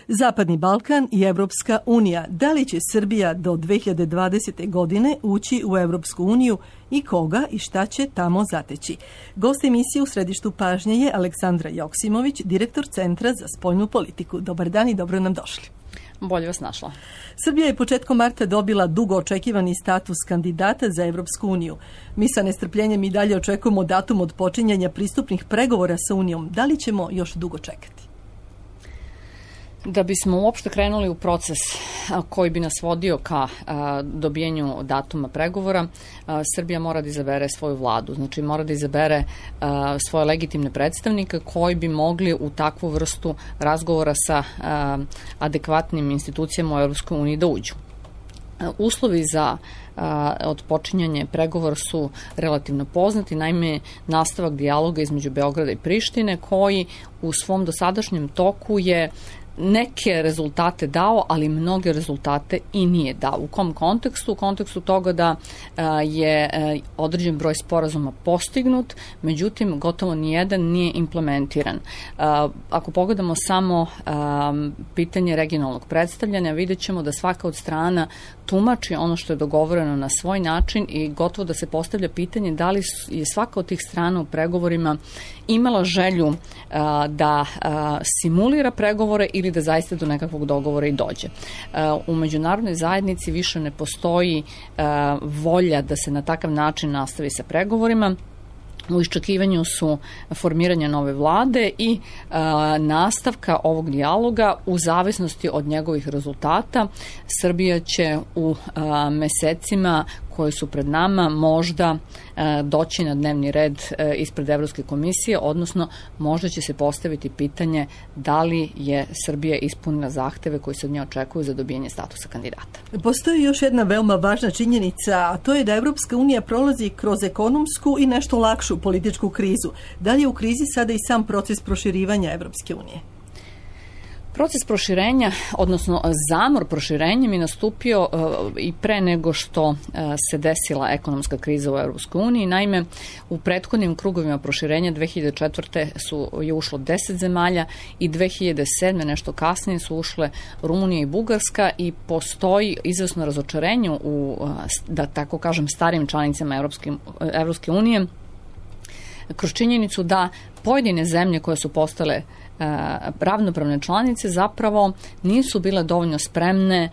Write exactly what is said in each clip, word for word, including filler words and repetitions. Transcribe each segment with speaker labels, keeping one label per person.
Speaker 1: Zapadni Balkan i Evropska unija. Da li će Srbija do dve hiljade dvadesete. godine ući u Evropsku uniju i koga i šta će tamo zateći? Gost emisije u središtu pažnje je Aleksandra Joksimović, direktor Centra za spoljnu politiku. Dobar dan i dobro nam došli.
Speaker 2: Bolje vas našla.
Speaker 1: Srbija je početkom marta dobila dugo očekivani status kandidata za Evropsku uniju. Mi sa nestrpljenjem i dalje očekujemo datum od počinjanja pristupnih pregovora sa Unijom. Da li ćemo još dugo čekati?
Speaker 2: Da bismo uopšte krenuli u proces koji bi nas vodio ka dobijenju datuma pregovora, Srbija mora da izabere svoju vladu. Znači mora da izabere svoje legitimne predstavnike koji bi mogli u takvu vrstu razgovora sa adekvatnim institucijama u Evropskoj uniji da uđu. Uslovi za odpočinjanje pregovora su relativno poznati, naime nastavak dijaloga između Beograda i Prištine koji u svom dosadašnjem toku je neke rezultate dao, ali mnoge rezultate i nije dao. U kom kontekstu? U kontekstu toga da je određen broj sporazuma postignut, međutim gotovo nijedan nije implementiran. Ako pogledamo samo pitanje regionalnog predstavljanja, vidjet ćemo da svaka od strana tumači ono što je dogovoreno na svoj način i gotovo da se postavlja pitanje da li je svaka od tih strana u pregovorima imala želju da simulira pregovore ili da zaista do nekakvog dogovora i dođe. U međunarodnoj zajednici više ne postoji volja da se na takav način nastavi sa pregovorima. U iščekivanju su formiranja nove vlade i a, nastavka ovog dijaloga u zavisnosti od njegovih rezultata. Srbija će u a, mesecima koji su pred nama možda a, doći na dnevni red a, ispred Evropske komisije, odnosno možda će se postaviti pitanje da li je Srbija ispunila zahteve koji se od nje očekuju za dobijanje statusa kandidata.
Speaker 1: Postoji još jedna veoma važna činjenica, a to je da Evropska unija prolazi kroz ekonomsku i nešto lakšu političku krizu. Da li je u krizi sada i sam proces proširivanja Evropske unije?
Speaker 2: Proces proširenja, odnosno zamor proširenjem je nastupio uh, i pre nego što uh, se desila ekonomska kriza u Evropskoj uniji. Naime, u prethodnim krugovima proširenja dve hiljade četvrte su je ušlo deset zemalja i dve hiljade sedme nešto kasnije su ušle Rumunija i Bugarska i postoji izvesno razočarenje u, uh, da tako kažem, starim članicama Evropske, Evropske unije kroz činjenicu da pojedine zemlje koje su postale ravnopravne članice zapravo nisu bile dovoljno spremne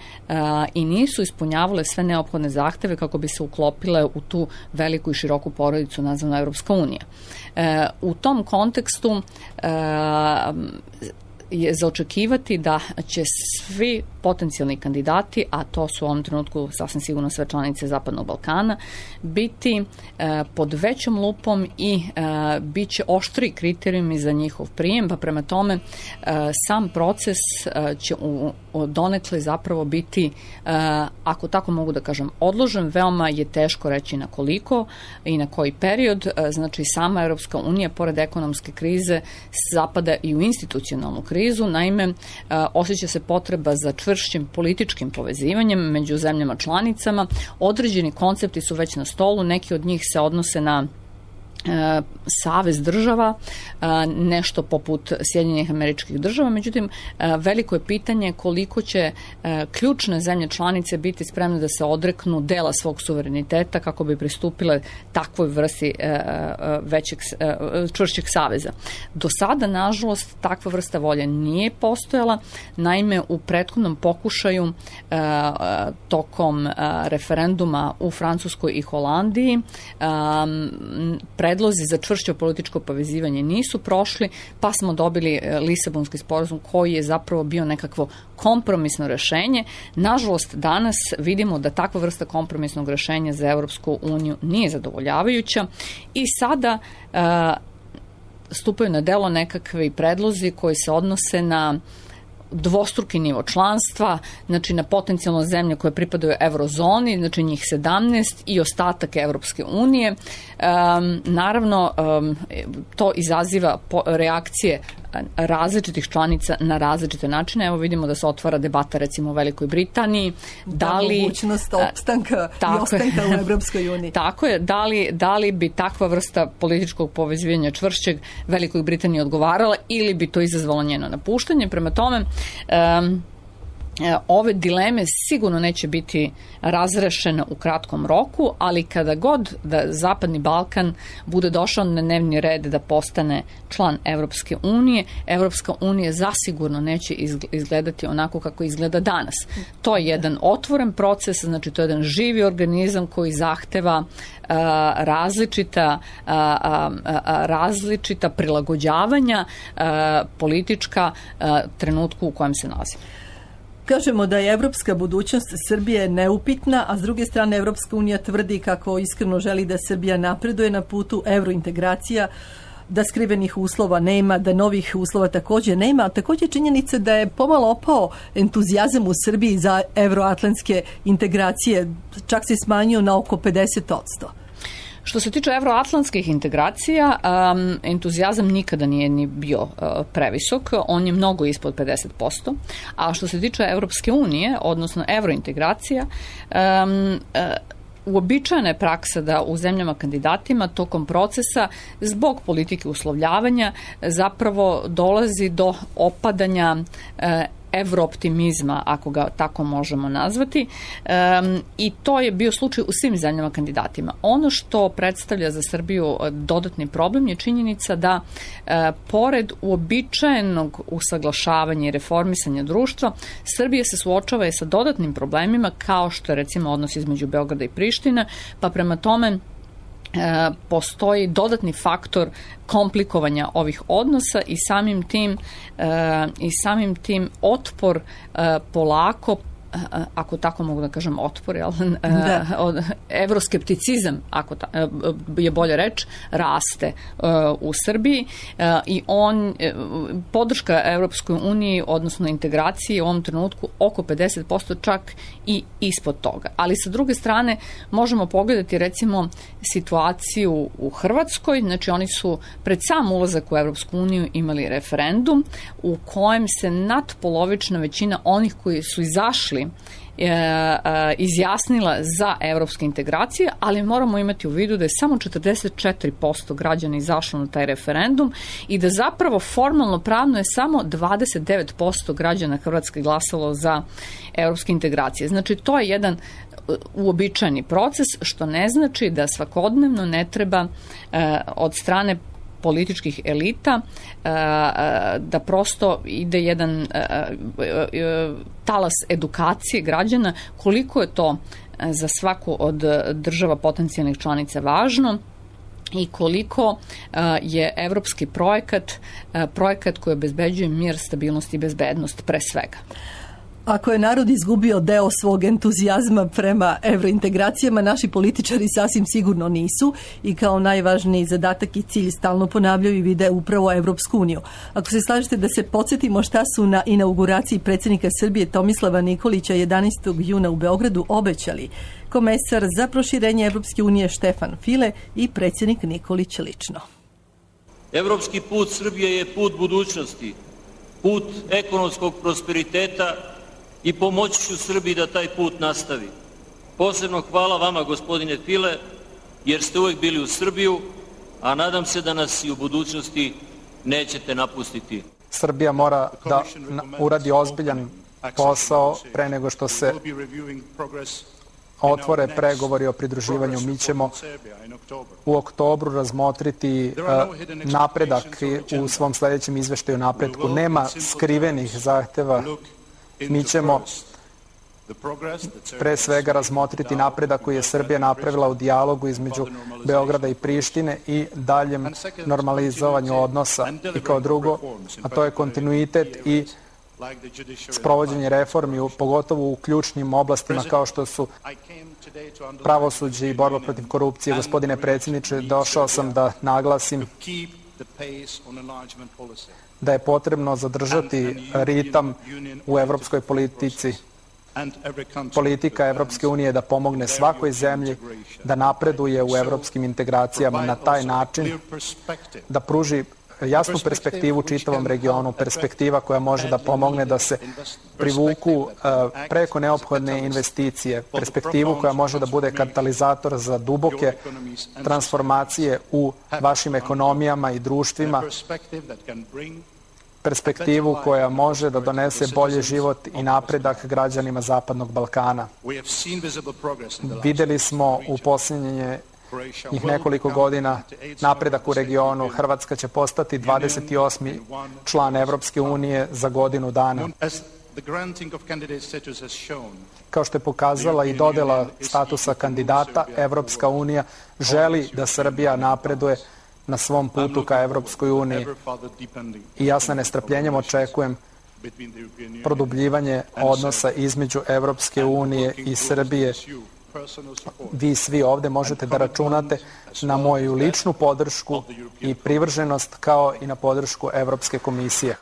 Speaker 2: i nisu ispunjavale sve neophodne zahteve kako bi se uklopile u tu veliku i široku porodicu nazvanu Evropska unija. U tom kontekstu je za očekivati da će svi potencijalni kandidati, a to su u ovom trenutku sasvim sigurno sve članice Zapadnog Balkana, biti e, pod većom lupom i e, bit će oštri kriterijumi za njihov prijem, pa prema tome e, sam proces e, će u, u donekle zapravo biti, e, ako tako mogu da kažem, odložen. Veoma je teško reći na koliko i na koji period. E, znači sama Evropska unija, pored ekonomske krize, zapada i u institucionalnu krizu. Naime, e, osjeća se potreba za čvršćim političkim povezivanjem među zemljama članicama. Određeni koncepti su već na stolu, neki od njih se odnose na e, savez država, e, nešto poput Sjedinjenih Američkih Država, međutim e, veliko je pitanje koliko će e, ključne zemlje članice biti spremne da se odreknu dela svog suvereniteta kako bi pristupile takvoj vrsti e, većeg, e, čvršćeg saveza. Do sada, nažalost, takva vrsta volje nije postojala. Naime, u prethodnom pokušaju e, tokom e, referenduma u Francuskoj i Holandiji e, predlozi za čvršće političko povezivanje nisu prošli, pa smo dobili Lisabonski sporazum koji je zapravo bio nekakvo kompromisno rešenje. Nažalost, danas vidimo da takva vrsta kompromisnog rešenja za Evropsku uniju nije zadovoljavajuća i sada uh, stupaju na delo nekakvi predlozi koji se odnose na dvostruki nivo članstva, znači na potencijalno zemlje koje pripadaju eurozoni, znači njih sedamnaest i ostatak Evropske unije. Um, naravno, um, to izaziva po, reakcije različitih članica na različite načine. Evo vidimo da se otvara debata recimo u Velikoj Britaniji.
Speaker 1: Da, da li, mogućnost opstanka i ostanka u Evropskoj uniji.
Speaker 2: Tako je, da li, da li bi takva vrsta političkog povezivanja čvršćeg Velikoj Britaniji odgovarala ili bi to izazvalo njeno napuštanje. Prema tome, um, ove dileme sigurno neće biti razrešene u kratkom roku, ali kada god da Zapadni Balkan bude došao na dnevni red da postane član Evropske unije, Evropska unija zasigurno neće izgledati onako kako izgleda danas. To je jedan otvoren proces, znači to je jedan živi organizam koji zahteva a, različita, a, a, a, različita prilagođavanja a, politička a, trenutku u kojem se nalazi.
Speaker 1: Kažemo da je evropska budućnost Srbije neupitna, a s druge strane Evropska unija tvrdi kako iskreno želi da Srbija napreduje na putu evrointegracija, da skrivenih uslova nema, da novih uslova također nema, a također činjenica da je pomalo opao entuzijazam u Srbiji za evroatlantske integracije, čak se smanjio na oko pedeset posto.
Speaker 2: Što se tiče evroatlantskih integracija, um, entuzijazam nikada nije ni bio uh, previsok, on je mnogo ispod pedeset posto, a što se tiče Evropske unije, odnosno evrointegracija, um, uh, uobičajena je praksa da u zemljama kandidatima tokom procesa zbog politike uslovljavanja zapravo dolazi do opadanja uh, evrooptimizma, ako ga tako možemo nazvati, um, i to je bio slučaj u svim zemljama kandidatima. Ono što predstavlja za Srbiju dodatni problem je činjenica da uh, pored uobičajenog usaglašavanja i reformisanja društva, Srbija se suočava i sa dodatnim problemima kao što je recimo odnos između Beograda i Prištine, pa prema tome E, postoji dodatni faktor komplikovanja ovih odnosa i samim tim, e, i samim tim otpor e, polako, ako tako mogu da kažem otpor, jel? Da. Evroskepticizam, ako ta, je bolje reč, raste u Srbiji i on, podrška Evropskoj uniji, odnosno integraciji u ovom trenutku oko pedeset posto, čak i ispod toga. Ali sa druge strane možemo pogledati recimo situaciju u Hrvatskoj, znači oni su pred sam ulazak u Evropsku uniju imali referendum u kojem se nadpolovična većina onih koji su izašli izjasnila za evropske integracije, ali moramo imati u vidu da je samo četrdeset četiri posto građana izašlo na taj referendum i da zapravo formalno pravno je samo dvadeset devet posto građana Hrvatske glasalo za evropske integracije. Znači to je jedan uobičajeni proces, što ne znači da svakodnevno ne treba od strane političkih elita da prosto ide jedan talas edukacije građana koliko je to za svaku od država potencijalnih članica važno i koliko je evropski projekat projekat koji obezbeđuje mir, stabilnost i bezbednost pre svega.
Speaker 1: Ako je narod izgubio deo svog entuzijazma prema evrointegracijama, naši političari sasvim sigurno nisu i kao najvažniji zadatak i cilj stalno ponavljaju i vide upravo Evropsku uniju. Ako se slažete da se podsjetimo šta su na inauguraciji predsjednika Srbije Tomislava Nikolića jedanaestog juna u Beogradu obećali komesar za proširenje Evropske unije Štefan File i predsjednik Nikolić lično.
Speaker 3: Evropski put Srbije je put budućnosti, put ekonomskog prosperiteta i pomoći ću Srbiji da taj put nastavi. Posebno hvala vama, gospodine File, jer ste uvijek bili u Srbiju, a nadam se da nas i u budućnosti nećete napustiti.
Speaker 4: Srbija mora da uradi ozbiljan posao pre nego što se otvore pregovori o pridruživanju. Mi ćemo u oktobru razmotriti napredak u svom sljedećem izveštaju napretku. Nema skrivenih zahteva. Mi ćemo pre svega razmotriti napredak koji je Srbija napravila u dijalogu između Beograda i Prištine i daljem normalizovanju odnosa. I kao drugo, a to je kontinuitet i sprovođenje reformi, pogotovo u ključnim oblastima kao što su pravosuđe i borba protiv korupcije. Gospodine predsjedniče, došao sam da naglasim da je potrebno zadržati ritam u evropskoj politici. Politika Evropske unije da pomogne svakoj zemlji da napreduje u evropskim integracijama na taj način, da pruži jasnu perspektivu čitavom regionu, perspektiva koja može da pomogne da se privuku preko neophodne investicije, perspektivu koja može da bude katalizator za duboke transformacije u vašim ekonomijama i društvima, perspektivu koja može da donese bolji život i napredak građanima Zapadnog Balkana. Videli smo u posljednje njih nekoliko godina napredak u regionu. Hrvatska će postati dvadeset osmi član Evropske unije za godinu dana. Kao što je pokazala i dodela statusa kandidata, Evropska unija želi da Srbija napreduje na svom putu ka Evropskoj uniji. I ja sa nestrpljenjem očekujem produbljivanje odnosa između Evropske unije i Srbije. Vi svi ovde možete da računate na moju ličnu podršku i privrženost kao i na podršku Evropske komisije.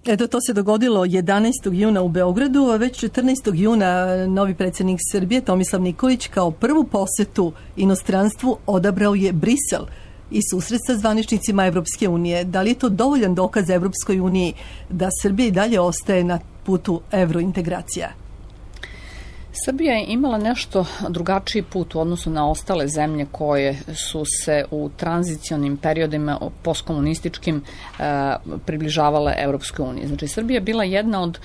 Speaker 1: Eto, to se dogodilo jedanaestog juna u Beogradu, a već četrnaestog juna novi predsjednik Srbije Tomislav Nikolić kao prvu posetu inostranstvu odabrao je Brisel i susret sa zvaničnicima Evropske unije. Da li je to dovoljan dokaz Evropskoj uniji da Srbija i dalje ostaje na putu evrointegracija?
Speaker 2: Srbija je imala nešto drugačiji put u odnosu na ostale zemlje koje su se u tranzicionim periodima postkomunističkim približavale Evropskoj uniji. Znači, Srbija je bila jedna od,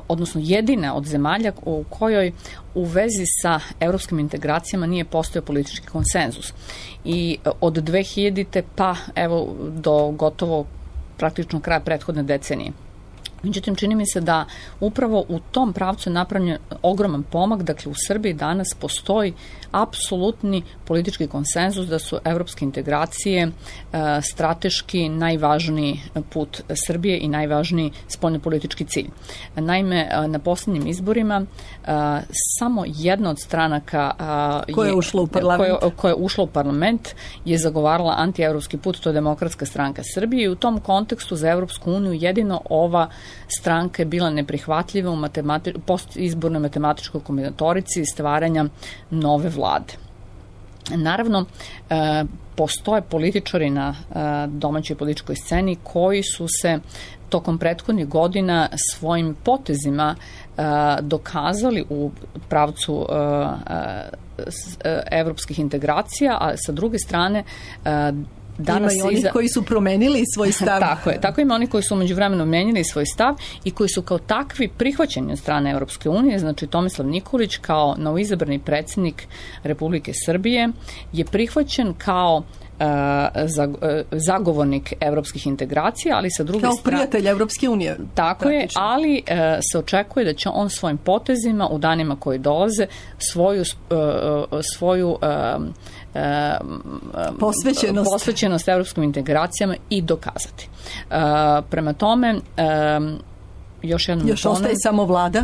Speaker 2: odnosno jedina od zemalja u kojoj u vezi sa evropskim integracijama nije postojao politički konsenzus. I od dve hiljadite pa evo do gotovo praktično kraja prethodne decenije. Međutim, čini mi se da upravo u tom pravcu je napravljen ogroman pomak. Dakle, u Srbiji danas postoji apsolutni politički konsenzus da su evropske integracije e, strateški najvažniji put Srbije i najvažniji spoljnopolitički cilj. Naime, na posljednjim izborima e, samo jedna od stranaka e,
Speaker 1: koja je ušla u parlament,
Speaker 2: koja, koja je ušla u parlament je zagovarala antievropski put, to je Demokratska stranka Srbije, i u tom kontekstu za Evropsku uniju jedino ova stranka je bila neprihvatljiva u matemati- postizbornoj matematičkoj kombinatorici stvaranja nove vlade. Naravno, e, postoje političari na e, domaćoj političkoj sceni koji su se tokom prethodnih godina svojim potezima e, dokazali u pravcu e, e, evropskih integracija, a sa druge strane e,
Speaker 1: Danas ima i oni iza... koji su promenili svoj stav.
Speaker 2: Tako je. Tako ima oni koji su umeđuvremenu menjali svoj stav i koji su kao takvi prihvaćeni od strane Evropske unije. Znači, Tomislav Nikolić kao novoizabrani predsjednik Republike Srbije je prihvaćen kao zagovornik evropskih integracija, ali sa druge strane...
Speaker 1: Kao prijatelj Evropske unije.
Speaker 2: Tako je, ali se očekuje da će on svojim potezima u danima koji dolaze svoju svoju
Speaker 1: posvećenost,
Speaker 2: posvećenost evropskim integracijama i dokazati. Prema tome, još jednom
Speaker 1: Još ostaje tonem, samo vlada?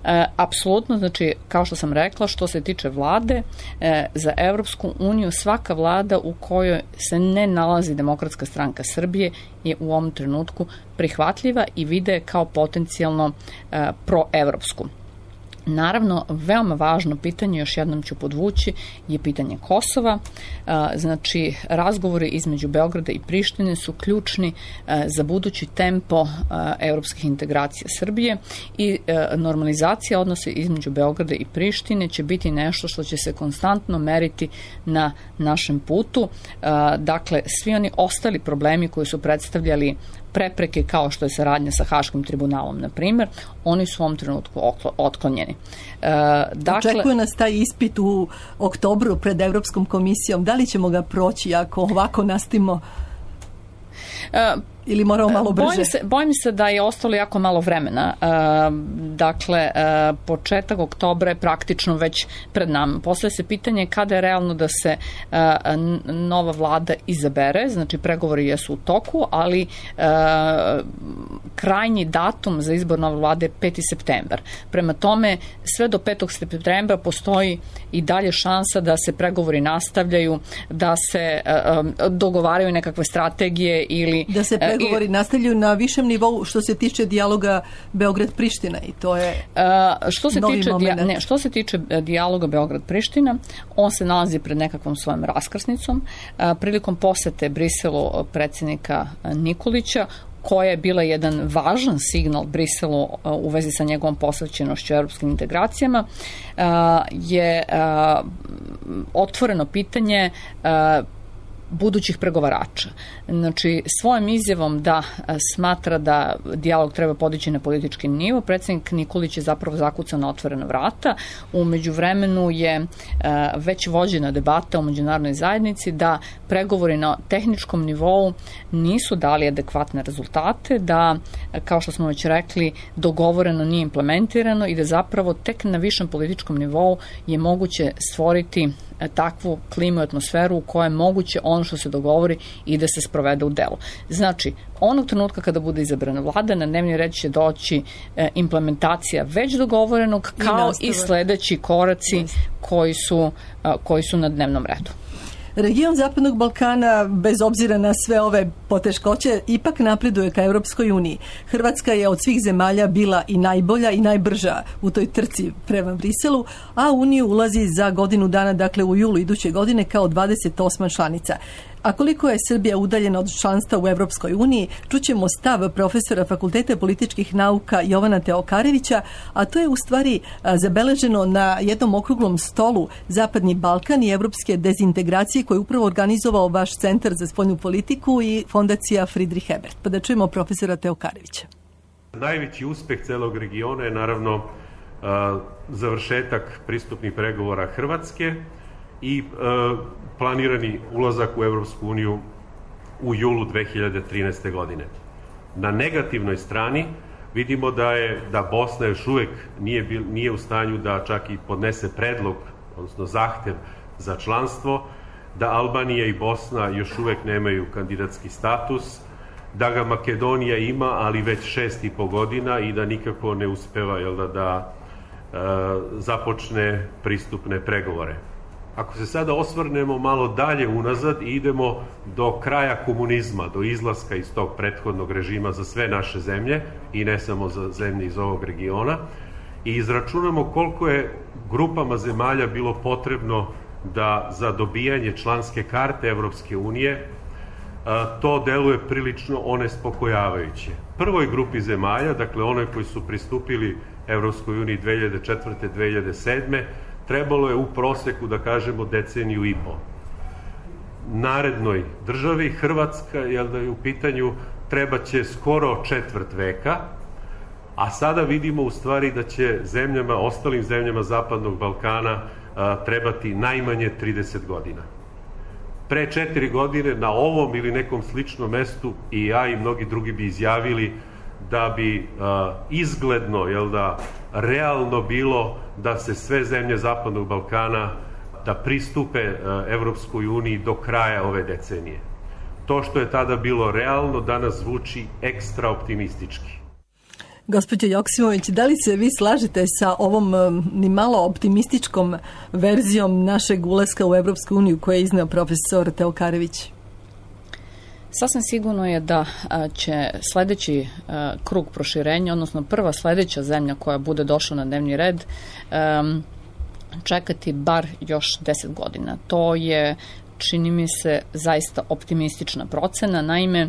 Speaker 2: E, apsolutno, znači, kao što sam rekla, što se tiče vlade, e, za Evropsku uniju svaka vlada u kojoj se ne nalazi Demokratska stranka Srbije je u ovom trenutku prihvatljiva i vide kao potencijalno e, proevropsku. Naravno, veoma važno pitanje, još jednom ću podvući, je pitanje Kosova. Znači, razgovori između Beograda i Prištine su ključni za budući tempo evropskih integracija Srbije i normalizacija odnosa između Beograda i Prištine će biti nešto što će se konstantno meriti na našem putu. Dakle, svi oni ostali problemi koji su predstavljali prepreke kao što je saradnja sa Haškim tribunalom, na primjer, oni su u ovom trenutku otklonjeni.
Speaker 1: E, dakle, Očekuje nas taj ispit u oktobru pred Evropskom komisijom. Da li ćemo ga proći ako ovako nastavimo? E, Ili moramo malo brže?
Speaker 2: Bojim se, bojim se da je ostalo jako malo vremena. E, dakle, e, početak oktobra je praktično već pred nama. Postavlja se pitanje kada je realno da se e, nova vlada izabere. Znači, pregovori jesu u toku, ali e, krajnji datum za izbor nove vlade je peti septembar. Prema tome, sve do petog septembra postoji i dalje šansa da se pregovori nastavljaju, da se e, dogovaraju nekakve strategije ili ili...
Speaker 1: Da se pregovori ili, nastavljaju na višem nivou što se tiče dijaloga Beograd-Priština i to je uh,
Speaker 2: što se
Speaker 1: novi
Speaker 2: tiče,
Speaker 1: moment.
Speaker 2: Ne, što se tiče dijaloga Beograd-Priština, on se nalazi pred nekakvom svojom raskrsnicom. Uh, prilikom posete Briselu predsjednika Nikolića, koja je bila jedan važan signal Briselu uh, u vezi sa njegovom posvećenošću europskim integracijama, uh, je uh, otvoreno pitanje uh, budućih pregovarača. Znači, svojom izjavom da smatra da dijalog treba podići na politički nivo, predsjednik Nikolić je zapravo zakucao na otvorena vrata. U međuvremenu je već vođena debata u međunarodnoj zajednici da pregovori na tehničkom nivou nisu dali adekvatne rezultate, da, kao što smo već rekli, dogovoreno nije implementirano i da zapravo tek na višem političkom nivou je moguće stvoriti takvu klimu i atmosferu u kojoj je moguće ono što se dogovori i da se sprovede u delu. Znači, onog trenutka kada bude izabrana vlada, na dnevni red će doći e, implementacija već dogovorenog, kao i, i sledeći koraci koji su, a, koji su na dnevnom redu.
Speaker 1: Region Zapadnog Balkana, bez obzira na sve ove poteškoće, ipak napreduje ka Europskoj uniji. Hrvatska je od svih zemalja bila i najbolja i najbrža u toj trci prema Briselu, a Uniju ulazi za godinu dana, dakle u julu iduće godine, kao dvadeset osma članica. A koliko je Srbija udaljena od članstva u Europskoj uniji, čućemo stav profesora Fakulteta političkih nauka Jovana Teokarevića, a to je u stvari zabeleženo na jednom okruglom stolu Zapadni Balkan i evropske dezintegracije koje je upravo organizovao vaš Centar za spoljnu politiku i fondacija Friedrich Ebert. Pa da čujemo profesora Teokarevića.
Speaker 5: Najveći uspeh celog regiona je naravno uh, završetak pristupnih pregovora Hrvatske i uh, planirani ulazak u Evropsku uniju u julu dve hiljade trinaeste. godine. Na negativnoj strani vidimo da je da Bosna još uvek nije, bil, nije u stanju da čak i podnese predlog, odnosno zahtev za članstvo, da Albanija i Bosna još uvek nemaju kandidatski status, da ga Makedonija ima, ali već šest i po godina i da nikako ne uspeva jel da, da e, započne pristupne pregovore. Ako se sada osvrnemo malo dalje unazad i idemo do kraja komunizma, do izlaska iz tog prethodnog režima za sve naše zemlje i ne samo za zemlje iz ovog regiona i izračunamo koliko je grupama zemalja bilo potrebno da za dobijanje članske karte Evropske unije to deluje prilično onespokojavajuće. Prvoj grupi zemalja, dakle onoj koji su pristupili Evropskoj uniji dve hiljade četvrte. dve hiljade sedme. trebalo je u proseku, da kažemo, deceniju i po. Narednoj državi, Hrvatska, jel da je u pitanju, treba će skoro četvrt veka, a sada vidimo u stvari da će zemljama, ostalim zemljama Zapadnog Balkana a, trebati najmanje trideset godina. Pre četiri godine na ovom ili nekom sličnom mestu i ja i mnogi drugi bi izjavili da bi a, izgledno, jel da, realno bilo da se sve zemlje Zapadnog Balkana da pristupe a, Evropskoj uniji do kraja ove decenije. To što je tada bilo realno, danas zvuči ekstra optimistički.
Speaker 1: Gospođo Joksimović, da li se vi slažete sa ovom ni malo optimističkom verzijom našeg ulaska u Evropsku uniju koje je izneo profesor Teokarević?
Speaker 2: Sasvim sigurno je da će sledeći krug proširenja, odnosno prva sledeća zemlja koja bude došla na dnevni red, čekati bar još deset godina. To je, čini mi se, zaista optimistična procena. Naime,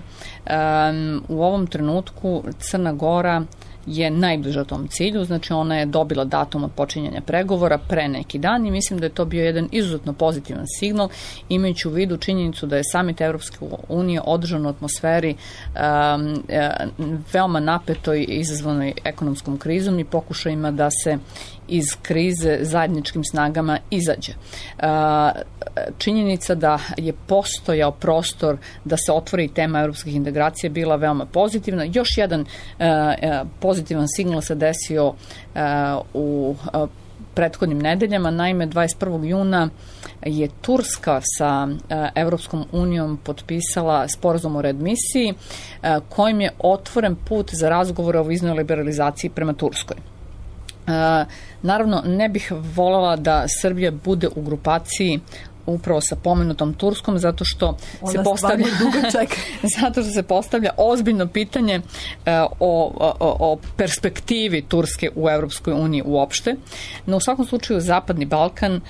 Speaker 2: u ovom trenutku Crna Gora je najbliža tom cilju, znači ona je dobila datum od počinjanja pregovora pre neki dan i mislim da je to bio jedan izuzetno pozitivan signal, imajući u vidu činjenicu da je samit Evropske unije održan u atmosferi um, veoma napetoj izazvanoj ekonomskom krizom i pokušajima da se iz krize zajedničkim snagama izađe. Činjenica da je postojao prostor da se otvori tema evropskih integracija bila veoma pozitivna. Još jedan pozitivan signal se desio u prethodnim nedeljama. Naime, dvadeset prvog juna je Turska sa Evropskom unijom potpisala sporazum o readmisiji kojim je otvoren put za razgovore o viznoj liberalizaciji prema Turskoj. Uh, naravno, ne bih voljela da Srbija bude u grupaciji upravo sa pomenutom Turskom, zato što
Speaker 1: Ona
Speaker 2: se postavlja zato što se postavlja ozbiljno pitanje uh, o, o, o perspektivi Turske u Evropskoj uniji uopšte. No u svakom slučaju Zapadni Balkan uh,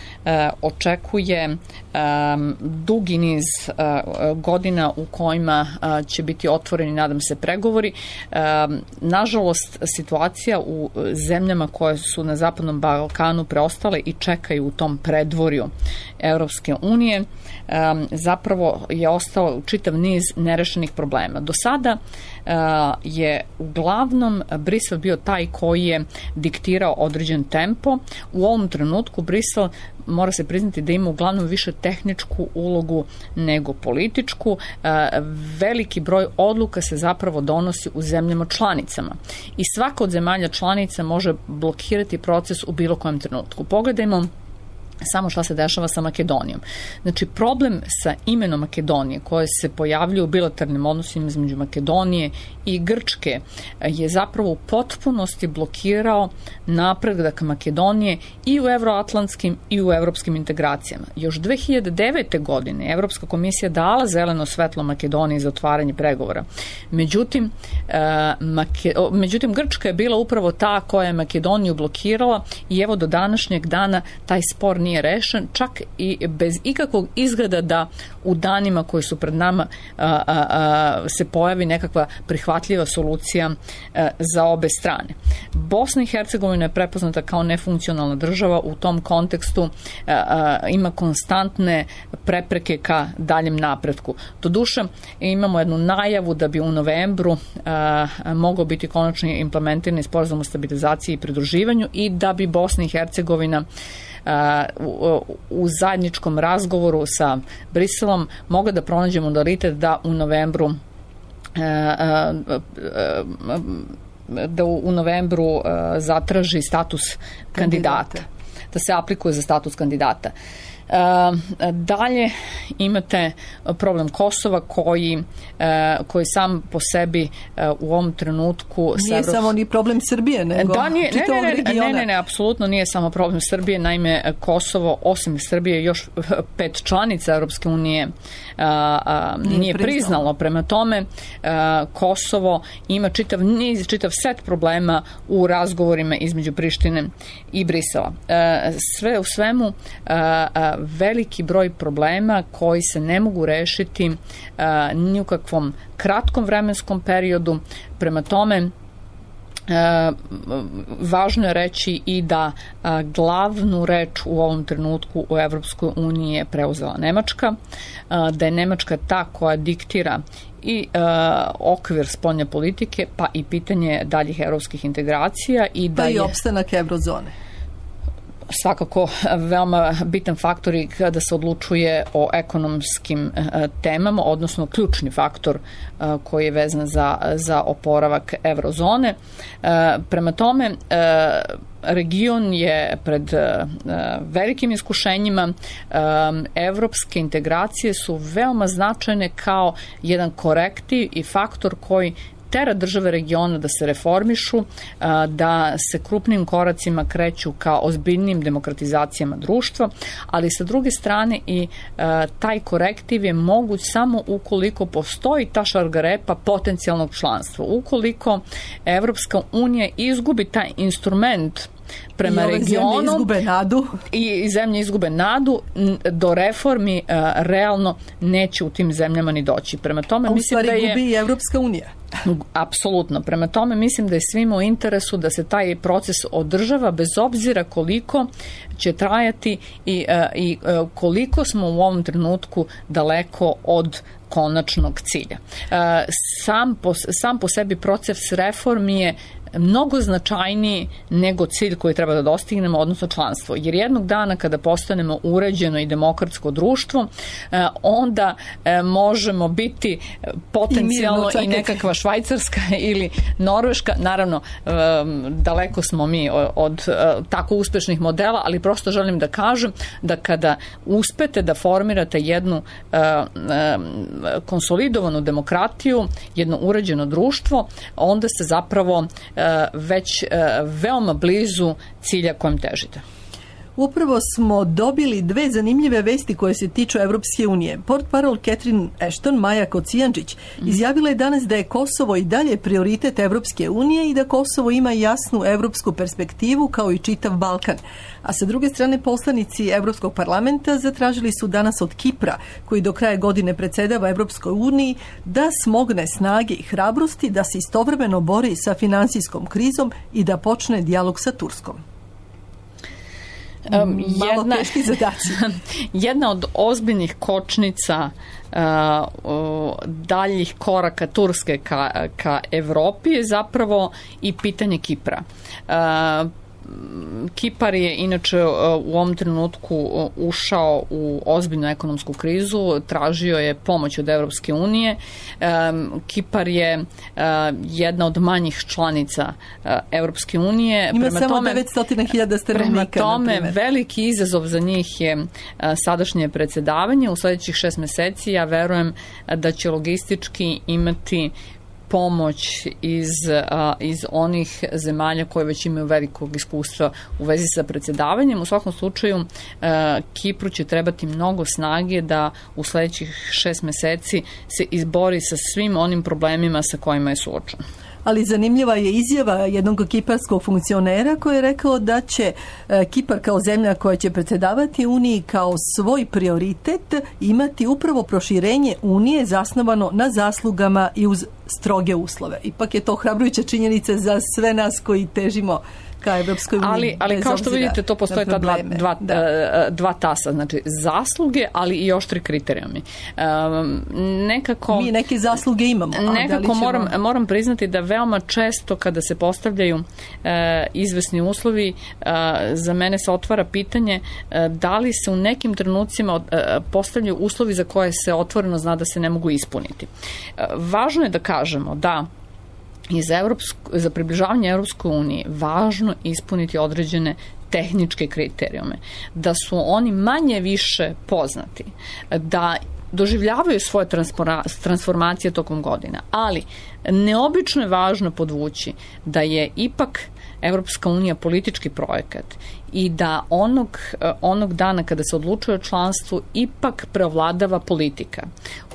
Speaker 2: očekuje um, dugi niz uh, godina u kojima uh, će biti otvoreni, nadam se, pregovori. Um, nažalost, situacija u zemljama koje su na Zapadnom Balkanu preostale i čekaju u tom predvorju Evropske unije, um, zapravo je ostao čitav niz nerešenih problema. Do sada uh, je uglavnom Brisel bio taj koji je diktirao određen tempo. U ovom trenutku Brisel, mora se priznati da ima uglavnom više tehničku ulogu nego političku. Uh, veliki broj odluka se zapravo donosi u zemljama članicama i svaka od zemalja članica može blokirati proces u bilo kojem trenutku. Pogledajmo samo šta se dešava sa Makedonijom. Znači, problem sa imenom Makedonije koje se pojavljuje u bilateralnim odnosima između Makedonije i Grčke je zapravo u potpunosti blokirao napredak Makedonije i u evroatlantskim i u evropskim integracijama. Još dve hiljade devete. godine Evropska komisija dala zeleno svetlo Makedoniji za otvaranje pregovora. Međutim, Make... međutim, Grčka je bila upravo ta koja je Makedoniju blokirala i evo do današnjeg dana taj spor nije rešen, čak i bez ikakvog izgleda da u danima koji su pred nama a, a, a, se pojavi nekakva prihvatljiva solucija a, za obe strane. Bosna i Hercegovina je prepoznata kao nefunkcionalna država, u tom kontekstu a, a, ima konstantne prepreke ka daljem napretku. Doduše, imamo jednu najavu da bi u novembru a, a, mogao biti konačno implementiran sporazum o stabilizaciji i pridruživanju i da bi Bosna i Hercegovina U, u zajedničkom razgovoru sa Briselom mogla da pronađe modalitet da u novembru da u novembru zatraži status kandidata, da se aplikuje za status kandidata. Dalje imate problem Kosova koji, koji sam po sebi u ovom trenutku...
Speaker 1: Nije Evrops... samo ni problem Srbije, nego
Speaker 2: da, nije,
Speaker 1: čitavog
Speaker 2: ne, ne,
Speaker 1: regiona.
Speaker 2: Ne, ne, ne, apsolutno nije samo problem Srbije. Naime, Kosovo, osim Srbije, još pet članica Evropske unije a, a, nije, nije priznalo. priznalo. Prema tome, a, Kosovo ima čitav niz, čitav set problema u razgovorima između Prištine i Brisela. A, sve u svemu, a, a, veliki broj problema koji se ne mogu rešiti a, ni u kakvom kratkom vremenskom periodu. Prema tome, a, važno je reći i da a, glavnu reč u ovom trenutku u Evropskoj uniji je preuzela Nemačka, a, da je Nemačka ta koja diktira i e, okvir spoljne politike, pa i pitanje daljih evropskih integracija i da
Speaker 1: pa
Speaker 2: je...
Speaker 1: i opstanak eurozone.
Speaker 2: Svakako veoma bitan faktor i kada se odlučuje o ekonomskim e, temama, odnosno ključni faktor e, koji je vezan za, za oporavak eurozone. E, prema tome, e, region je pred e, velikim iskušenjima. E, evropske integracije su veoma značajne kao jedan korektiv i faktor koji tera države regiona da se reformišu, da se krupnim koracima kreću ka ozbiljnim demokratizacijama društva, ali sa druge strane i taj korektiv je moguć samo ukoliko postoji ta šargarepa potencijalnog članstva. Ukoliko Evropska unija izgubi taj instrument prema
Speaker 1: I
Speaker 2: regionu
Speaker 1: zemlje izgube nadu.
Speaker 2: I zemlje izgube nadu, do reformi uh, realno neće u tim zemljama ni doći. Prema tome,
Speaker 1: A u
Speaker 2: mislim
Speaker 1: stvari
Speaker 2: da je...
Speaker 1: gubi i Evropska unija.
Speaker 2: Apsolutno. Prema tome, mislim da je svima u interesu da se taj proces održava bez obzira koliko će trajati i, uh, i uh, koliko smo u ovom trenutku daleko od konačnog cilja. Uh, sam, po, sam po sebi proces reformi je mnogo značajniji nego cilj koji treba da dostignemo, odnosno članstvo. Jer jednog dana kada postanemo uređeno i demokratsko društvo, onda možemo biti potencijalno i, i nekakva Švajcarska ili Norveška. Naravno, daleko smo mi od tako uspešnih modela, ali prosto želim da kažem da kada uspete da formirate jednu konsolidovanu demokratiju, jedno uređeno društvo, onda se zapravo već veoma blizu cilja kojem težite.
Speaker 1: Upravo smo dobili dve zanimljive vesti koje se tiču Evropske unije. Portparol Catherine Ashton, Maja Kocijančić, izjavila je danas da je Kosovo i dalje prioritet Evropske unije i da Kosovo ima jasnu evropsku perspektivu kao i čitav Balkan. A sa druge strane, poslanici Evropskog parlamenta zatražili su danas od Kipra, koji do kraja godine predsedava Evropskoj uniji, da smogne snage i hrabrosti da se istovremeno bori sa finansijskom krizom i da počne dijalog sa Turskom.
Speaker 2: Um,
Speaker 1: Malo
Speaker 2: jedna,
Speaker 1: teški zadaci.
Speaker 2: Jedna od ozbiljnih kočnica uh, uh, daljih koraka Turske ka, ka Evropi je zapravo i pitanje Kipra. Uh, Kipar je inače u ovom trenutku ušao u ozbiljnu ekonomsku krizu, tražio je pomoć od Evropske unije. Kipar je jedna od manjih članica Evropske unije.
Speaker 1: Ima prema samo tome, devetsto hiljada stanovnika.
Speaker 2: Prema tome, veliki izazov za njih je sadašnje predsedavanje. U sledećih šest meseci ja verujem da će logistički imati pomoć iz, a, iz onih zemalja koje već imaju velikog iskustva u vezi sa predsedavanjem. U svakom slučaju a, Kipru će trebati mnogo snage da u sledećih šest meseci se izbori sa svim onim problemima sa kojima je suočen.
Speaker 1: Ali zanimljiva je izjava jednog kiparskog funkcionera koji je rekao da će Kipar kao zemlja koja će predsedavati Uniji kao svoj prioritet imati upravo proširenje Unije zasnovano na zaslugama i uz stroge uslove. Ipak je to hrabrujuća činjenica za sve nas koji težimo ka Evropskoj uniji.
Speaker 2: Ali, ali kao što vidite, to postoje ta dva, dva, da. dva tasa, znači zasluge, ali i oštri kriterijumi. Um, nekako...
Speaker 1: Mi neke zasluge imamo.
Speaker 2: Nekako ćemo... moram, moram priznati da veoma često kada se postavljaju uh, izvesni uslovi, uh, za mene se otvara pitanje uh, da li se u nekim trenucima uh, postavljaju uslovi za koje se otvoreno zna da se ne mogu ispuniti. Uh, važno je da kažemo da I za, Evropsku, za približavanje Evropskoj uniji važno ispuniti određene tehničke kriterijume, da su oni manje više poznati, da doživljavaju svoje transformacije tokom godina, ali neobično je važno podvući da je ipak Evropska unija politički projekat i da onog, onog dana kada se odlučuje o članstvu ipak preovladava politika.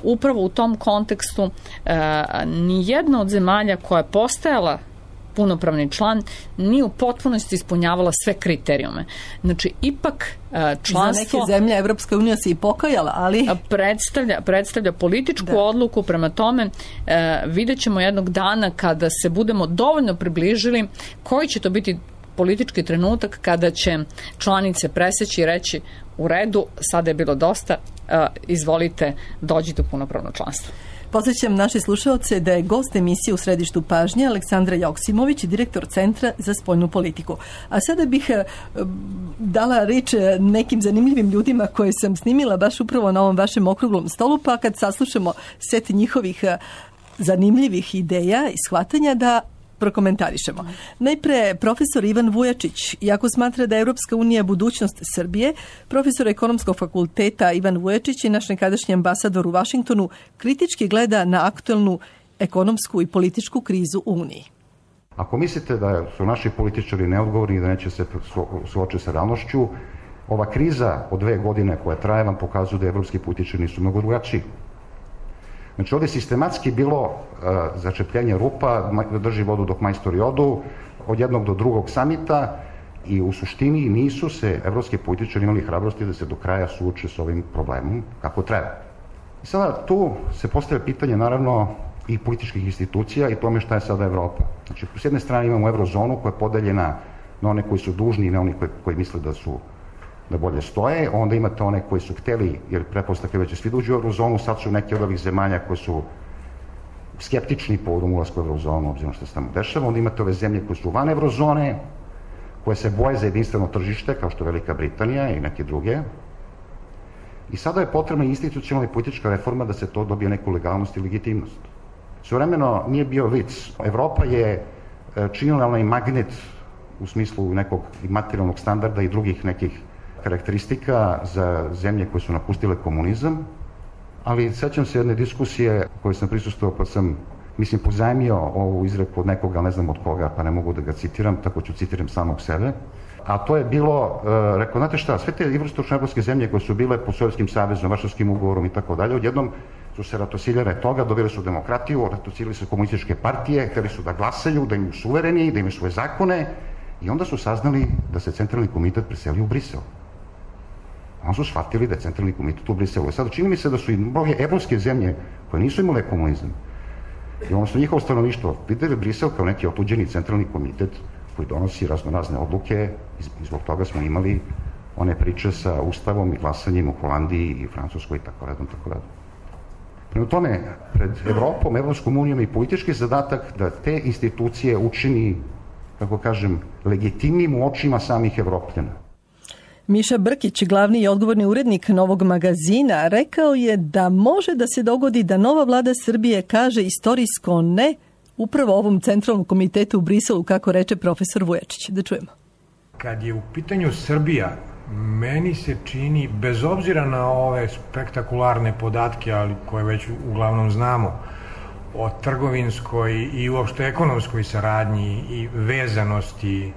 Speaker 2: Upravo u tom kontekstu ni jedna od zemalja koja je postajala punopravni član nije u potpunosti ispunjavala sve kriterijume. Znači, ipak članstvo...
Speaker 1: Za neke zemlje Evropska unija se i pokajala, ali...
Speaker 2: Predstavlja, predstavlja političku da. odluku, prema tome vidjet ćemo jednog dana kada se budemo dovoljno približili koji će to biti politički trenutak kada će članice preseći i reći u redu, sada je bilo dosta, izvolite, dođite u punopravno članstvo.
Speaker 1: Podsjećam naše slušaoce da je gost emisije U središtu pažnje Aleksandra Joksimović, direktor Centra za spoljnu politiku. A sada bih dala reč nekim zanimljivim ljudima koje sam snimila baš upravo na ovom vašem okruglom stolu, pa kad saslušamo set njihovih zanimljivih ideja i shvatanja da prokomentarišemo. Najpre, profesor Ivan Vujačić, iako smatra da je Evropska unija budućnost Srbije, profesor ekonomskog fakulteta Ivan Vujačić i naš nekadašnji ambasador u Vašingtonu kritički gleda na aktuelnu ekonomsku i političku krizu u Uniji.
Speaker 6: Ako mislite da su naši političari neodgovorni i da neće se suočiti sa realnošću, ova kriza od dve godine koja traje vam pokazuje da evropski političari nisu mnogo drugačiji. Znači, ovdje je sistematski bilo uh, začepljenje rupa, da drži vodu dok majstori odu, od jednog do drugog samita i u suštini nisu se evropski političari imali hrabrosti da se do kraja suoče s ovim problemom kako treba. I sada tu se postavlja pitanje, naravno, i političkih institucija i tome šta je sada Evropa. Znači, s jedne strane imamo eurozonu koja je podeljena na one koji su dužni i na one koji, koji misle da su da bolje stoje, onda imate one koji su hteli, jer pretpostavke već svi uđu u eurozonu, sad su neki od ovih zemalja koji su skeptični povodom ulaska u eurozonu, obzirom što se tamo dešava, onda imate ove zemlje koje su van eurozone, koje se boje za jedinstveno tržište, kao što je Velika Britanija i neke druge. I sada je potrebna institucionalna i politička reforma da se to dobije neku legalnost i legitimnost. Svojevremeno nije bio vic. Evropa je činila onaj magnet u smislu nekog materijalnog standarda i drugih nekih karakteristika za zemlje koje su napustile komunizam, ali sećam se jedne diskusije u kojoj sam prisustvovao pa sam mislim, pozajmio ovu izreku od nekoga, ne znam od koga, pa ne mogu da ga citiram, tako ću citiram samog sebe. A to je bilo, e, rekao, znate šta, sve te istočnoevropske zemlje koje su bile pod Sovjetskim savezom, Varšavskim ugovorom i tako dalje, odjednom su se ratosiljene toga, dobili su demokratiju, ratosiljili su komunističke partije, hteli su da glasaju, da imaju suvereni, da imaju svoje zakone, i onda su saznali da se centralni komitet preselio u Brisel. Onda su shvatili da je centralni komitet u Briselu. Sada čini mi se da su i mnoge evropske zemlje koje nisu imale komunizam, i ono su njihovo stanovništvo videli Brisel kao neki otuđeni centralni komitet koji donosi raznorazne odluke, i zbog toga smo imali one priče sa Ustavom i glasanjem u Holandiji i Francuskoj i tako redom, tako redom. Prema tome, pred Evropom, Evropskom unijom i politički zadatak da te institucije učini, kako kažem, legitimnim u očima samih Evropljana.
Speaker 1: Miša Brkić, glavni i odgovorni urednik Novog magazina, rekao je da može da se dogodi da nova vlada Srbije kaže istorijsko ne upravo ovom centralnom komitetu u Briselu, kako reče profesor Vujačić. Da čujemo.
Speaker 7: Kad je u pitanju Srbija, meni se čini, bez obzira na ove spektakularne podatke, ali koje već uglavnom znamo, o trgovinskoj i uopšte ekonomskoj saradnji i vezanosti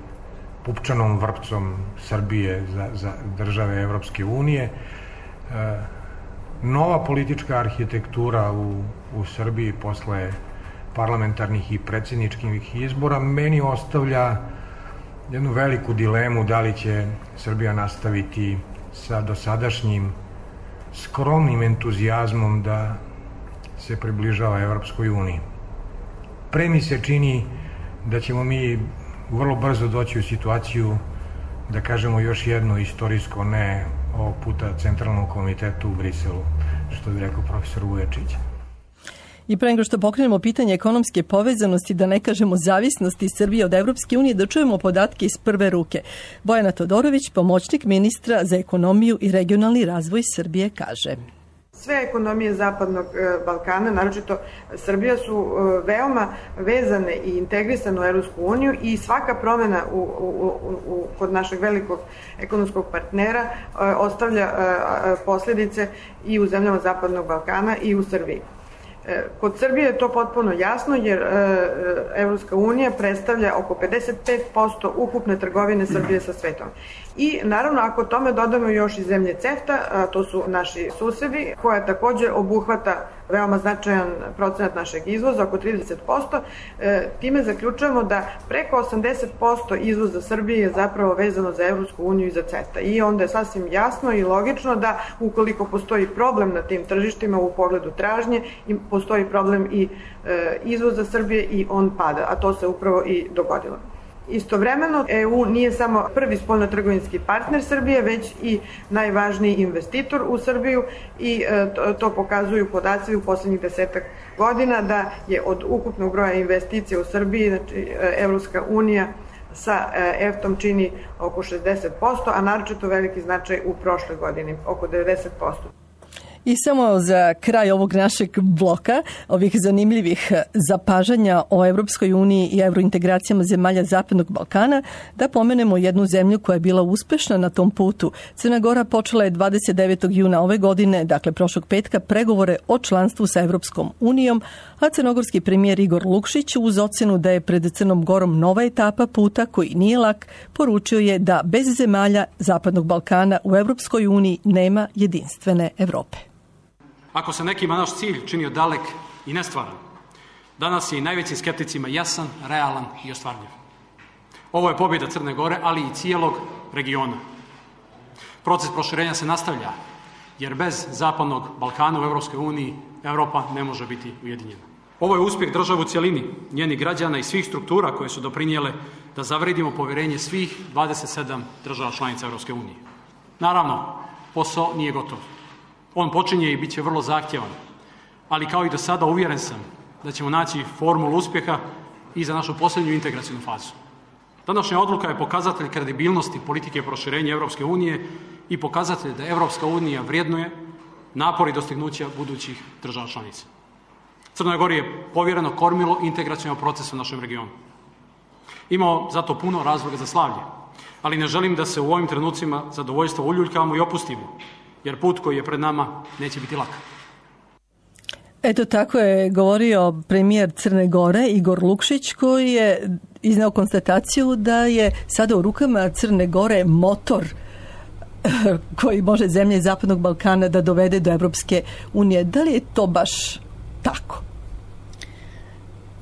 Speaker 7: pupčanom vrpcom Srbije za, za države Evropske unije, nova politička arhitektura u, u Srbiji posle parlamentarnih i predsjedničkih izbora meni ostavlja jednu veliku dilemu da li će Srbija nastaviti sa dosadašnjim skromnim entuzijazmom da se približava Evropskoj uniji. Pre mi se čini da ćemo mi vrlo brzo doći u situaciju da kažemo još jedno istorijsko ne ovog puta Centralnom komitetu u Briselu, što bi rekao profesor Vujačić.
Speaker 1: I pre nego što pokrenemo pitanje ekonomske povezanosti, da ne kažemo zavisnosti Srbije od Evropske unije, da čujemo podatke iz prve ruke. Bojana Todorović, pomoćnik ministra za ekonomiju i regionalni razvoj Srbije, kaže:
Speaker 8: Sve ekonomije Zapadnog Balkana, naročito Srbija, su veoma vezane i integrisane u Evropsku uniju i svaka promjena u, u, u, kod našeg velikog ekonomskog partnera ostavlja posljedice i u zemljama Zapadnog Balkana i u Srbiji. Kod Srbije je to potpuno jasno, jer Evropska unija predstavlja oko pedeset pet posto ukupne trgovine Srbije sa svetom. I naravno, ako tome dodamo još i zemlje CEFTA, to su naši susedi, koja također obuhvata veoma značajan procenat našeg izvoza, oko trideset posto, time zaključujemo da preko osamdeset posto izvoza Srbije je zapravo vezano za Evropsku uniju i za CEFTA. I onda je sasvim jasno i logično da ukoliko postoji problem na tim tržištima u pogledu tražnje, postoji problem i izvoza Srbije i on pada, a to se upravo i dogodilo. Istovremeno, E U nije samo prvi spoljnotrgovinski partner Srbije, već i najvažniji investitor u Srbiju i to pokazuju podaci u posljednjih desetak godina da je od ukupnog broja investicija u Srbiji, znači Evropska unija sa EFTA-om čini oko šezdeset posto, a naročito veliki značaj u prošloj godini, oko devedeset posto.
Speaker 1: I samo za kraj ovog našeg bloka, ovih zanimljivih zapažanja o Evropskoj uniji i evrointegracijama zemalja Zapadnog Balkana, da pomenemo jednu zemlju koja je bila uspešna na tom putu. Crna Gora počela je dvadeset devetog juna ove godine, dakle prošlog petka, pregovore o članstvu sa Evropskom unijom, a crnogorski premijer Igor Lukšić uz ocenu da je pred Crnom Gorom nova etapa puta koji nije lak, poručio je da bez zemalja Zapadnog Balkana u Evropskoj uniji nema jedinstvene Evrope.
Speaker 9: Ako se nekima naš cilj činio dalek i nestvaran, danas je i najvećim skepticima jasan, realan i ostvarljiv. Ovo je pobjeda Crne Gore, ali i cijelog regiona. Proces proširenja se nastavlja, jer bez Zapadnog Balkana u Evropskoj uniji Evropa ne može biti ujedinjena. Ovo je uspjeh države u cjelini, njenih građana i svih struktura koje su doprinijele da zavredimo povjerenje svih dvadeset sedam država članica Evropske unije. Naravno, posao nije gotov. On počinje i bit će vrlo zahtjevan, ali kao i do sada uvjeren sam da ćemo naći formulu uspjeha i za našu posljednju integracijnu fazu. Današnja odluka je pokazatelj kredibilnosti politike proširenja Evropske unije i pokazatelj da Evropska unija vrijednuje napor i dostignuća budućih država članica. Crnoj Gori je povjereno kormilo integracionog procesa u našem regionu. Imamo zato puno razloga za slavlje, ali ne želim da se u ovim trenucima zadovoljstvo uljuljkamo i opustimo, jer put koji je pred nama neće biti lak.
Speaker 1: Eto, tako je govorio premijer Crne Gore Igor Lukšić, koji je izneo konstataciju da je sada u rukama Crne Gore motor koji može zemlje Zapadnog Balkana da dovede do Evropske unije. Da li je to baš tako?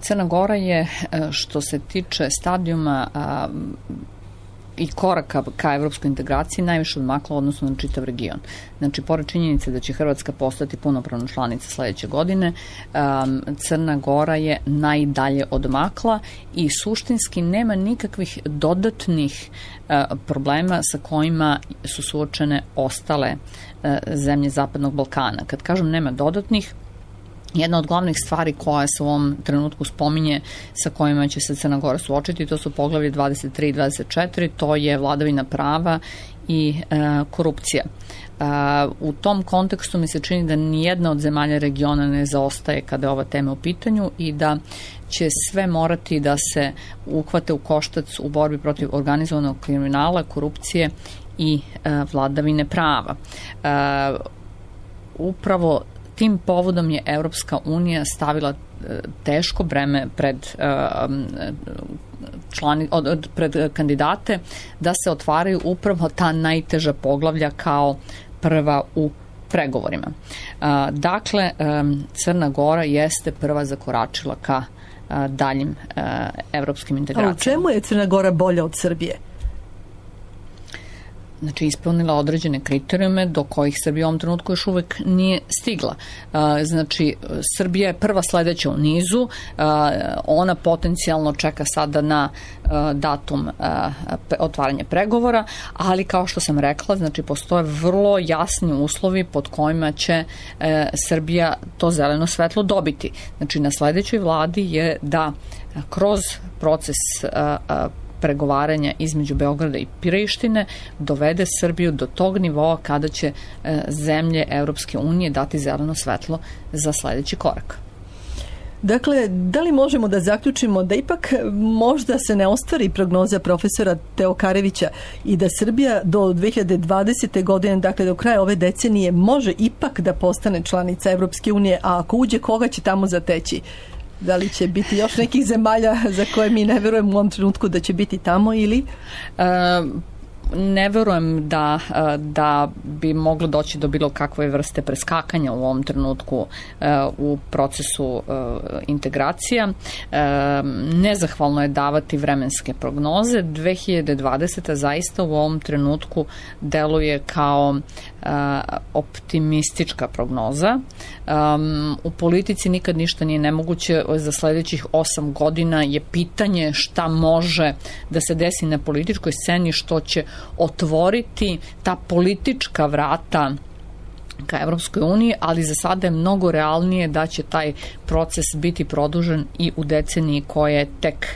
Speaker 2: Crna Gora je, što se tiče stadijuma i koraka ka evropskoj integraciji, najviše odmakla odnosno na čitav region. Znači, pored činjenice da će Hrvatska postati punopravna članica sledeće godine, Crna Gora je najdalje odmakla i suštinski nema nikakvih dodatnih problema sa kojima su suočene ostale zemlje Zapadnog Balkana. Kad kažem nema dodatnih, jedna od glavnih stvari koja se u ovom trenutku spominje sa kojima će se Crna Gora suočiti, to su poglavlje dvadeset tri i dvadeset četiri, to je vladavina prava i e, korupcija. E, u tom kontekstu mi se čini da nijedna od zemalja regiona ne zaostaje kada je ova tema u pitanju i da će sve morati da se uhvate u koštac u borbi protiv organizovanog kriminala, korupcije i e, vladavine prava. E, upravo tim povodom je Evropska unija stavila teško breme pred, člani, pred kandidate da se otvaraju upravo ta najteža poglavlja kao prva u pregovorima. Dakle, Crna Gora jeste prva zakoračila ka daljim evropskim integracijama.
Speaker 1: A u čemu je Crna Gora bolja od Srbije?
Speaker 2: Znači, ispunila određene kriterijume do kojih Srbija u ovom trenutku još uvek nije stigla. Znači, Srbija je prva sledeća u nizu, ona potencijalno čeka sada na datum otvaranja pregovora, ali kao što sam rekla, znači, postoje vrlo jasni uslovi pod kojima će Srbija to zeleno svetlo dobiti. Znači, na sledećoj vladi je da kroz proces pregovaranja između Beograda i Prištine dovede Srbiju do tog nivoa kada će e, zemlje Evropske unije dati zeleno svetlo za sledeći korak.
Speaker 1: Dakle, da li možemo da zaključimo da ipak možda se ne ostvari prognoza profesora Teokarevića i da Srbija do dve hiljade dvadesete. godine, dakle do kraja ove decenije, može ipak da postane članica Evropske unije, a ako uđe, koga će tamo zateći? Da li će biti još nekih zemalja za koje mi ne verujemo u ovom trenutku da će biti tamo ili?
Speaker 2: E, ne verujem da, da bi moglo doći do bilo kakve vrste preskakanja u ovom trenutku u procesu integracija. Nezahvalno je davati vremenske prognoze. dve hiljade dvadeseta. zaista u ovom trenutku deluje kao optimistička prognoza. U politici nikad ništa nije nemoguće. Za sledećih osam godina je pitanje šta može da se desi na političkoj sceni, što će otvoriti ta politička vrata ka Evropskoj uniji, ali za sada je mnogo realnije da će taj proces biti produžen i u deceniji koja je tek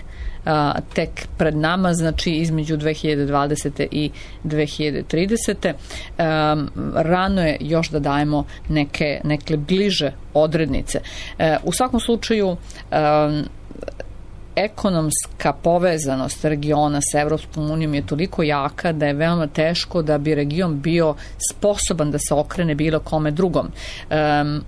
Speaker 2: Uh, tek pred nama, znači između dve hiljade dvadesete. i dve hiljade tridesete. Um, rano je još da dajemo neke, neke bliže odrednice. Uh, u svakom slučaju um, ekonomska povezanost regiona sa Evropskom unijom je toliko jaka da je veoma teško da bi region bio sposoban da se okrene bilo kome drugom. Um,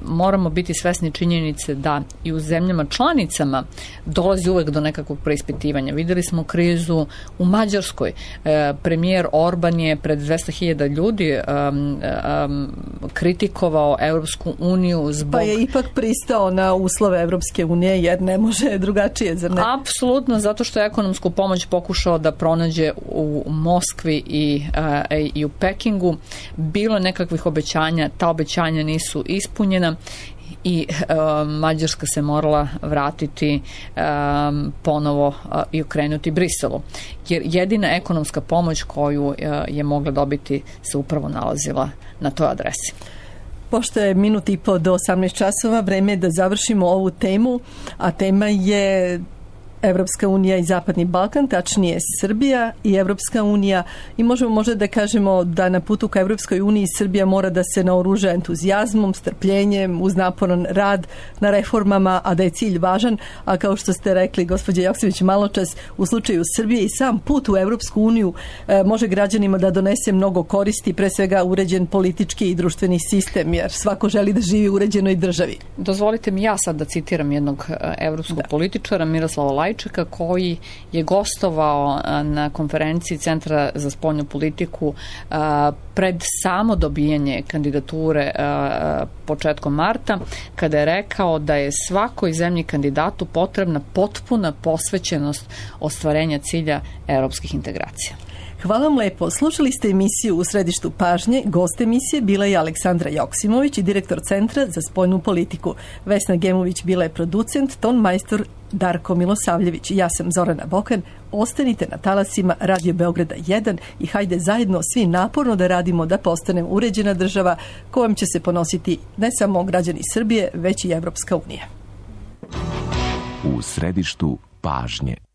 Speaker 2: moramo biti svesni činjenice da i u zemljama članicama dolazi uvek do nekakvog preispitivanja. Videli smo krizu u Mađarskoj. E, premijer Orban je pred dvesta hiljada ljudi um, um, kritikovao Evropsku uniju zbog...
Speaker 1: Pa je ipak pristao na uslove Evropske unije jer ne može drugačije, zar ne?
Speaker 2: Apsolutno, zato što je ekonomsku pomoć pokušao da pronađe u Moskvi i, uh, i u Pekingu. Bilo nekakvih obećanja, ta obećanja nisu ispunjena i uh, Mađarska se morala vratiti um, ponovo uh, i okrenuti Briselu. Jer jedina ekonomska pomoć koju uh, je mogla dobiti se upravo nalazila na toj adresi.
Speaker 1: Pošto je minut i po do osamnaest časova, vreme je da završimo ovu temu, a tema je Evropska unija i Zapadni Balkan, tačnije Srbija i Evropska unija, i možemo možda da kažemo da na putu ka Evropskoj uniji Srbija mora da se naoruža entuzijazmom, strpljenjem, uz naporan rad na reformama, a da je cilj važan, a kao što ste rekli, gospođa Joksimović, maločas, u slučaju Srbije i sam put u Evropsku uniju e, može građanima da donese mnogo koristi, pre svega uređen politički i društveni sistem, jer svako želi da živi u uređenoj državi.
Speaker 2: Dozvolite mi ja sad da citiram jednog evropskog da. političara, Miroslava Lajčeka, koji je gostovao na konferenciji Centra za spoljnu politiku pred samo dobijanje kandidature početkom marta, kada je rekao da je svakoj zemlji kandidatu potrebna potpuna posvećenost ostvarenja cilja evropskih integracija.
Speaker 1: Hvala vam lepo. Slušali ste emisiju U središtu pažnje. Gost emisije bila je Aleksandra Joksimović i direktor Centra za spoljnu politiku. Vesna Gemović bila je producent, ton majstor Darko Milosavljević. Ja sam Zorana Bokan. Ostanite na talasima Radio Beograda jedan i hajde zajedno svi naporno da radimo da postanemo uređena država kojom će se ponositi ne samo građani Srbije, već i Evropska unija.
Speaker 10: U središtu pažnje.